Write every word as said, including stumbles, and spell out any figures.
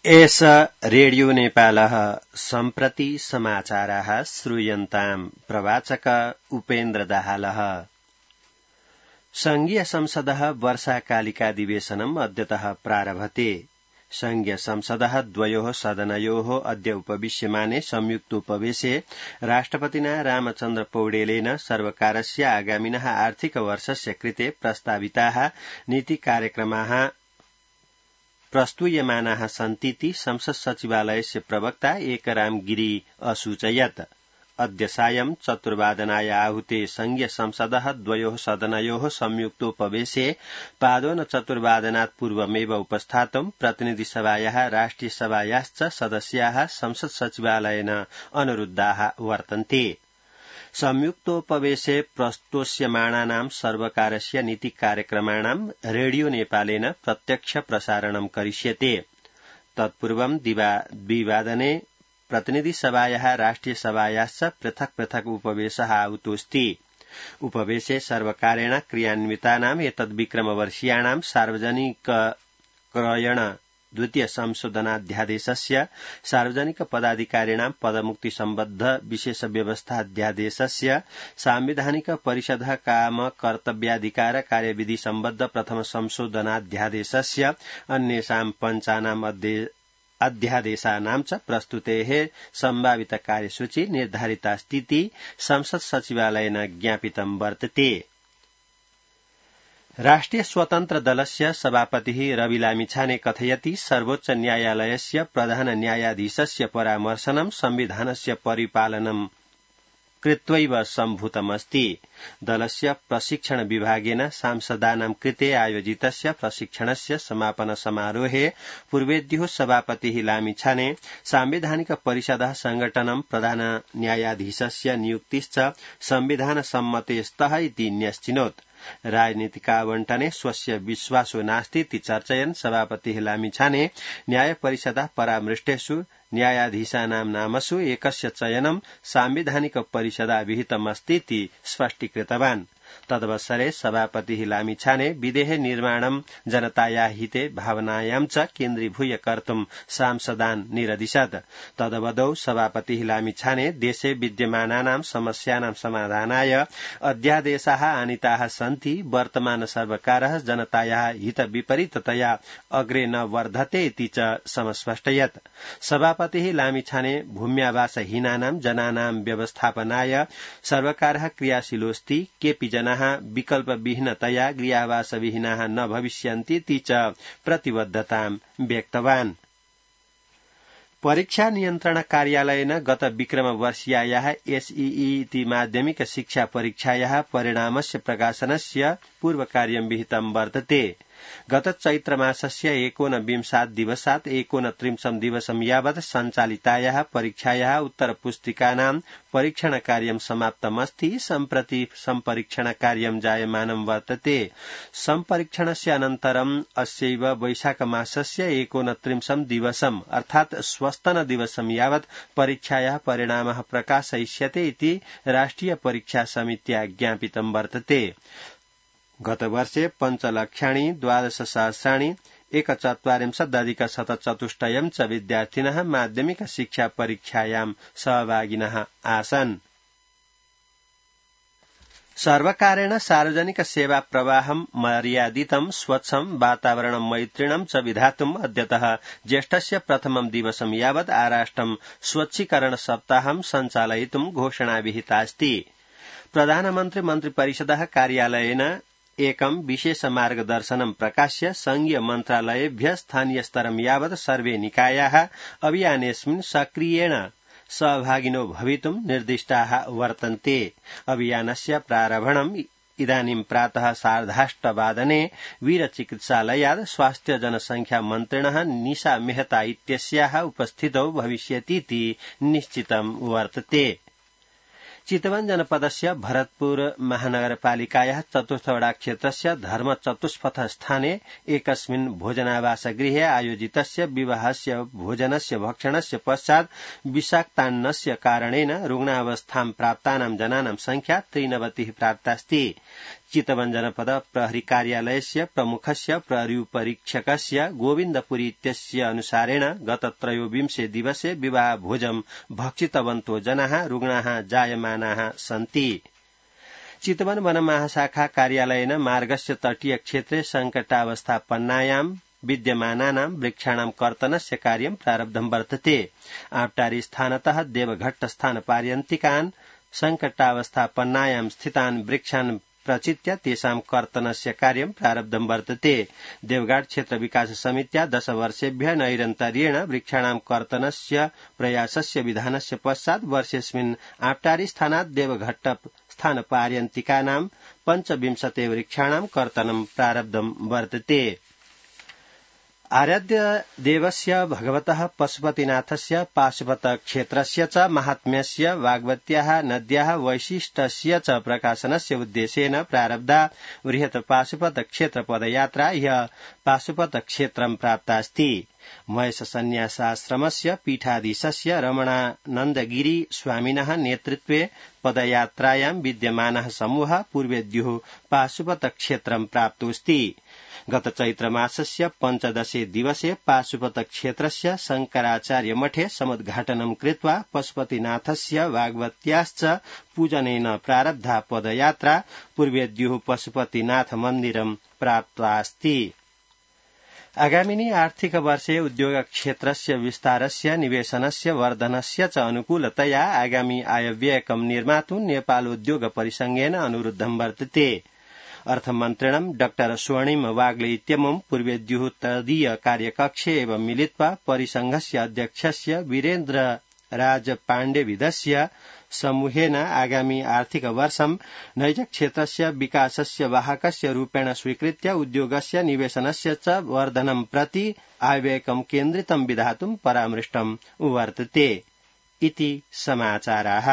एष रेडियो नेपालः सम्प्रति समाचाराः श्रूयन्ताम् प्रवाचक उपेन्द्र दाहालः। संघीय संसदः वर्षाकालिकाधिवेशनम् अद्यतः प्रारभते। संघीय संसदः द्वयोः सदनयोः अद्य उपविश्यमाने संयुक्तोपवेशे राष्ट्रपतिना रामचन्द्र पौडेलेन सर्वकारस्य आगामिनः आर्थिक वर्षस्य कृते प्रस्ताविताः नीतिकार्यक्रमाः प्रस्तूयमानाः सन्तीति संसद सचिवालयस्य प्रवक्ता एकराम गिरी असूचयत्। अद्य सायं चतुर्वादनाय आहूते संघीय संसदः द्वयोः सदनयोः संयुक्तोपवेशे पादोन चतुर्वादनात् पूर्वमेव उपस्थातुं प्रतिनिधिसभायाः राष्ट्रियसभायाश्च सदस्याः संसद सचिवालयेन अनुरुद्धाः वर्तन्ते। संयुक्तोपवेशे प्रस्तोष्यमाणानां सर्वकारस्य नीतिकार्यक्रमाणां रेडियो नेपालेन प्रत्यक्ष प्रसारणं करिष्यते। तत्पूर्वं द्विवादने प्रतिनिधिसभायाः राष्ट्रियसभायाश्च पृथक् पृथक् उपवेशः आहूतोऽस्ति। उपवेशे सर्वकारेण क्रियान्वितानाम् एतद्विक्रमवर्षीयाणां सार्वजनिक क्रयण द्वितीय संशोधनाध्यादेशस्य सार्वजनिक पदाधिकारिणां पदमुक्ति सम्बद्ध विशेष व्यवस्था अध्यादेशस्य सांविधानिक परिषद काम कर्तव्याधिकार कार्यविधि सम्बद्ध प्रथम संशोधनाध्यादेशस्य अन्येषां पञ्चानाम् अध्यादेशानां च प्रस्तुतेः सम्भावित कार्यसूची निर्धारितास्तीति संसद सचिवालयेन ज्ञापितं वर्तते। राष्ट्रिय स्वतन्त्र दलस्य सभापतिः रवि लामिछाने कथयति सर्वोच्च न्यायालयस्य प्रधान न्यायाधीशस्य परामर्शनं संविधानस्य परिपालनं कृत्वैव सम्भूतमस्ति। दलस्य प्रशिक्षण विभागेन सांसदानां कृते आयोजितस्य प्रशिक्षणस्य समापन समारोहे पूर्वेद्युः सभापतिः लामिछाने सांविधानिक परिषदः संघटनं प्रधान न्यायाधीशस्य नियुक्तिश्च संविधान सम्मतेस्तः इति न्यश्चिनोत्। राजनीतिकावण्टने स्वस्य विश्वासो नास्तीति चर्चयन् सभापतिः लामिछाने न्यायपरिषदः परामृष्टेषु न्यायाधीशानां नामसु एकस्य चयनं सांविधानिक परिषदा विहितमस्तीति स्पष्टीकृतवान्। तदवसरे सभापतिः लामिछाने विधेः निर्माणं जनताया हिते भावनायां च केन्द्रीभूय कर्तुं सांसदान् निरदिशत्। तदवधौ सभापतिः लामिछाने देशे विद्यमानानां समस्यानां समाधानाय अध्यादेशाः आनीताः सन्ति। वर्तमान सर्वकारः जनतायाः हित विपरीततया अग्रे न वर्धते इति च समस्पष्टयत्। सभापतिः लामिछाने भूम्यावासहीनानां जनानां व्यवस्थापनाय सर्वकारः क्रियाशीलोऽस्ति। केपि जनाः विकल्पविहीनतया गृहावासविहीनाः न भविष्यन्तीति च प्रतिबद्धतां व्यक्तवान्। परीक्षा नियन्त्रण कार्यालयेन गत विक्रमवर्षीयायाः एसईई इति माध्यमिक शिक्षा परीक्षायाः परिणामस्य प्रकाशनस्य पूर्वकार्यं विहितं वर्तते। गत चैत्रमासस्य एकोनविंशात् दिवसात् एकोनत्रिंशं दिवसं यावत् सञ्चालितायाः परीक्षायाः उत्तरपुस्तिकानां परीक्षणकार्यं समाप्तमस्ति। सम्प्रति सम्परीक्षणकार्यं जायमानं वर्तते। सम्परीक्षणस्य अनन्तरम् अस्यैव वैशाखमासस्य एकोनत्रिंशं दिवसम् अर्थात् स्वस्तनदिवसं यावत् परीक्षायाः परिणामः प्रकाशयिष्यते इति राष्ट्रिय परीक्षा समित्या ज्ञापितं वर्तते। गतवर्षे पञ्चलक्षाणि द्वादशसहस्राणि एकचत्वारिंशदधिक शतचतुष्टयं च विद्यार्थिनः माध्यमिक शिक्षा परीक्षायां सहभागिनः आसन्। सर्वकारेण सार्वजनिक सेवा प्रवाहं मर्यादितं स्वच्छं वातावरणं मैत्रिणं च विधातुम् अद्यतः ज्येष्ठस्य प्रथमं दिवसं यावत् आराष्ट्रं स्वच्छीकरण सप्ताहं सञ्चालयितुं घोषणा विहितास्ति। प्रधानमन्त्री मन्त्रिपरिषदः कार्यालयेन एकं विशेष मार्गदर्शनं प्रकाश्य संघीय मन्त्रालयेभ्यः स्थानीयस्तरं यावत् सर्वे निकायाः अभियानेऽस्मिन् सक्रियेण सहभागिनो भवितुं निर्दिष्टाः वर्तन्ते। अभियानस्य प्रारम्भम् इदानीं प्रातः सार्धाष्टवादने वीरचिकित्सालयात् स्वास्थ्य जनसंख्या मन्त्रिणः निशा मेहता इत्यस्याः उपस्थितौ भविष्यतीति निश्चितं वर्तते। चितवन जनपदस्य भरतपुर महानगरपालिकायाः चतुर्थवडा क्षेत्रस्य धर्म चतुष्पथ स्थाने एकस्मिन् भोजनावासगृहे आयोजितस्य विवाहस्य भोजनस्य भक्षणस्य पश्चात् विषाक्तान्नस्य कारणेन रुग्णावस्थां प्राप्तानां जनानां संख्या त्रिनवतिः प्राप्तास्ति। चितवन जनपद प्रहरी कार्यालयस्य प्रमुखस्य प्रहरीपरीक्षकस्य गोविन्दपुरी इत्यस्य अनुसारेण गत त्रयोविंशे दिवसे विवाह भोजं भक्षितवन्तो जनाः रुग्णाः जायमानाः सन्ति। चितवन वनमहाशाखा कार्यालयेन मार्गस्य तटीय क्षेत्रे संकटावस्थापन्नायां विद्यमानानां वृक्षाणां कर्तनस्य कार्यं प्रारब्धं वर्तते। आप्टारी स्थानतः देवघट्ट स्थानपर्यन्तिकान् संकटावस्थापन्नायां स्थितान् वृक्षान् प्रचित्य तेषां कर्तनस्य कार्यं प्रारब्धं वर्तते। देवघाट क्षेत्र विकास समित्या दश वर्षेभ्यः नैरन्तर्येण वृक्षाणां कर्तनस्य प्रयासस्य विधानस्य पश्चात् वर्षेऽस्मिन् आप्टारी स्थानात् देवघट्ट स्थानपर्यन्तिकानां पञ्चविंशते वृक्षाणां कर्तनं प्रारब्धं वर्तते। आराध्य देवस्य भगवतः पशुपतिनाथस्य पाशुपत क्षेत्रस्य च माहात्म्यस्य वाग्वत्याः नद्याः वैशिष्ट्यस्य च प्रकाशनस्य उद्देश्येन प्रारब्धा बृहत् पाशुपत क्षेत्र पदयात्रा ह्यः पाशुपत क्षेत्रं प्राप्तास्ति। महेश सन्न्यासाश्रमस्य पीठाधीशस्य रमणानन्दगिरी स्वामिनः नेतृत्वे पदयात्रायां विद्यमानः समूहः पूर्वेद्युः पाशुपत क्षेत्रं प्राप्तोऽस्ति। गत चैत्रमासस्य पञ्चदशे दिवसे पाशुपत क्षेत्रस्य शंकराचार्य मठे समुद्घाटनं कृत्वा पशुपतिनाथस्य वाग्वत्याश्च पूजनेन प्रारब्धा पदयात्रा पूर्वेद्युः पशुपतिनाथ मन्दिरं प्राप्तास्ति। आगामिनि आर्थिक वर्षे उद्योग क्षेत्रस्य विस्तारस्य निवेशनस्य वर्धनस्य च अनुकूलतया आगामी आयव्ययकं निर्मातुं नेपालोद्योग परिसंघेन अनुरुद्धं वर्तते। अर्थमन्त्रिणं डॉक्टर स्वर्णिम वाग्ले इत्यमुं पूर्वेद्युः तदीय कार्यकक्षे एव मिलित्वा परिसंघस्य अध्यक्षस्य वीरेन्द्र राज पाण्डेविदस्य समूहेन आगामी आर्थिक वर्षं नैज क्षेत्रस्य विकासस्य वाहकस्य रूपेण स्वीकृत्य उद्योगस्य निवेशनस्य च वर्धनं प्रति आयव्ययकं केन्द्रितं विधातुं परामृष्टं वर्तते इति समाचाराः।